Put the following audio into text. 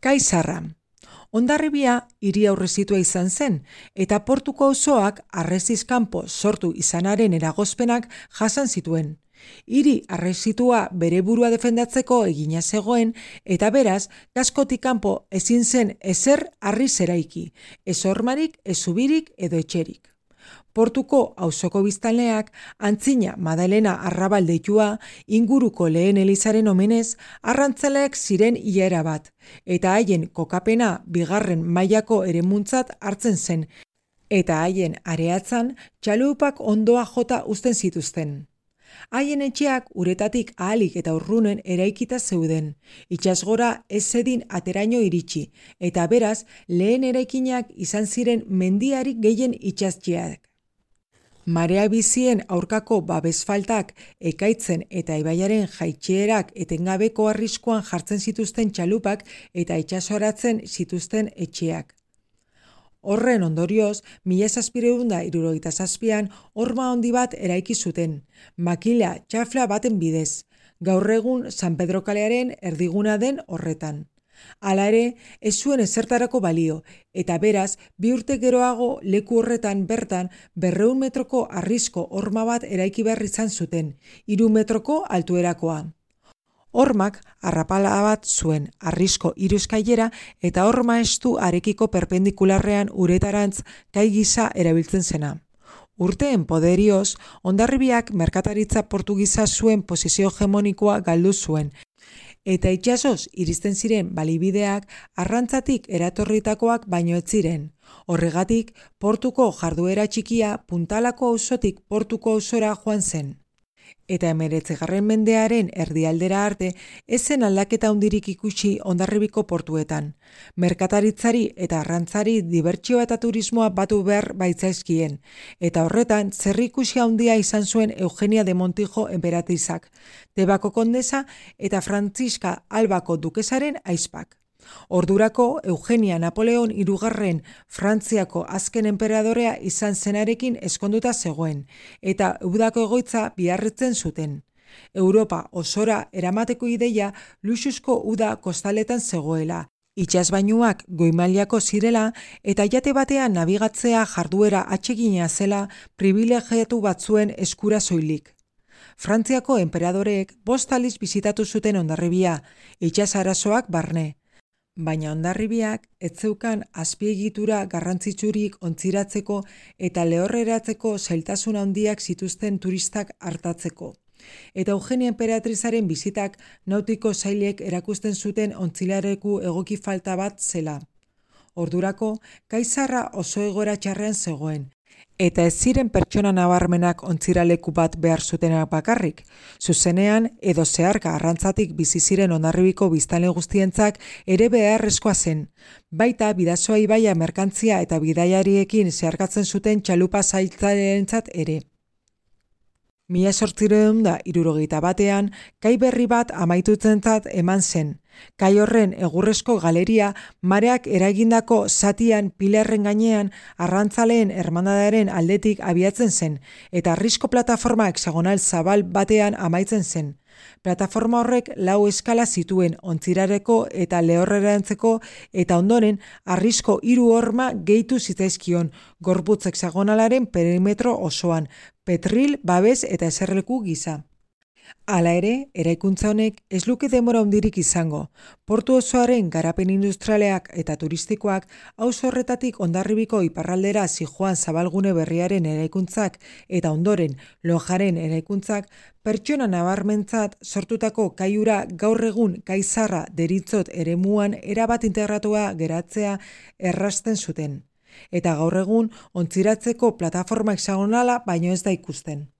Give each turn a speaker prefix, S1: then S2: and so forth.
S1: Kai Zarra. Hondarribia hiri aurrezitua izan zen, eta portuko auzoak harresiz kanpo sortu izanaren eragozpenak jasan zituen. Hiri harresitua bere burua defendatzeko egina zegoen, eta beraz, gaskotik kanpo ezin zen ezer harriz eraiki, ez hormarik, ez zubirik edo etxerik. Portuko auzoko biztanleak Antzina Madalena Arrabal deitua inguruko lehen elizaren omenez arrantzaleak ziren hilera bat, eta haien kokapena bigarren mailako eremuntzat hartzen zen, eta haien areatzan txalupak ondoa jota uzten zituzten. Haien etxeak uretatik ahalik eta urrunen eraikita zeuden, itsasgora ez zedin ateraino iritsi, eta beraz lehen eraikinak izan ziren mendiarik gehien itsastxeak. Marea bizien aurkako babesfaltak ekaitzen eta ibaiaren jaitsierak etengabeko arriskuan jartzen zituzten txalupak eta itsasoratzen zituzten etxeak. Horren ondorioz, 1777an horma handi bat eraiki zuten, makila txafla baten bidez, gaur egun San Pedro kalearen erdiguna den horretan. Hala ere, ez zuen ezertarako balio, eta beraz, 2 urte geroago leku horretan bertan 200 metroko harrizko horma bat eraiki behar izan zuten, 3 metroko altuerakoa. Hormak arrapala bat zuen harrizko 3 eskailera eta horma estu arekiko perpendikularrean uretarantz kai gisa erabiltzen zena. Urteen poderioz, Hondarribiak merkataritza portugisa zuen posizio hegemonikoa galdu zuen, eta itsasoz iristen ziren balibideak arrantzatik eratorritakoak baino ez ziren. Horregatik, portuko jarduera txikia Puntalako auzotik portuko auzora joan zen. Eta 19. mendearen erdialdera arte ez zen aldaketa handirik ikusi Hondarribiko portuetan. Merkataritzari eta arrantzari dibertsioa eta turismoa batu behar baitzaizkien, eta horretan zerrikusi handia izan zuen Eugenia de Montijo enperatrizak, Tebako kondesa eta Frantziska Albako dukesaren ahizpak. Ordurako Eugenia Napoleon III Frantziako azken enperadorea izan zenarekin ezkonduta zegoen, eta udako egoitza biarritzen zuten. Europa osora eramateko ideia luxuzko uda kostaletan zegoela, itsasbainuak goi-mailako zirela eta jate batean nabigatzea jarduera atsegina zela pribilegiatu batzuen eskura soilik. Frantziako enperadoreek 5 aldiz bisitatu zuten Hondarribia, itsas arazoak barne. Baina Hondarribiak ez zeukan azpiegitura garrantzitsurik ontziratzeko eta lehorreratzeko zailtasun handiak zituzten turistak hartatzeko. Eta Eugenia enperatrizaren bizitak nautiko sailek erakusten zuten ontzilareku egoki falta bat zela. Ordurako, Kai Zarra oso egoera txarrean zegoen, eta ez ziren pertsona nabarmenak ontziraleku bat behar zutenak bakarrik. Zuzenean edo zeharka arrantzatik bizi ziren Hondarribiko biztanle guztientzak ere beharrezkoa zen. Baita Bidasoa ibaia merkantzia eta bidaiariekin zeharkatzen zuten txalupa zailtzaileentzat ere. 1871ean kai berri bat amaitutzentzat eman zen. Kai horren egurrezko galeria mareak eragindako zatian pilarren gainean arrantzaleen hermandadaren aldetik abiatzen zen, eta harrizko plataforma hexagonal zabal batean amaitzen zen. Plataforma horrek 4 eskala zituen ontzirareko eta lehorrerantzeko, eta ondoren harrizko 3 horma gehitu zitzaizkion gorputz hexagonalaren perimetro osoan, petril, babes eta eserleku gisa. Hala ere, eraikuntza honek ez luke denbora handirik izango. Portu osoaren garapen industrialeak eta turistikoak auzo horretatik Hondarribiko iparraldera zijoan zabalgune berriaren eraikuntzak eta ondoren Lonjaren eraikuntzak pertsona nabarmentzat sortutako kaiura gaur egun Kai Zarra deritzot eremuan erabat integratua geratzea errazten zuten. Eta gaur egun ontziratzeko plataforma hexagonala baino ez da ikusten.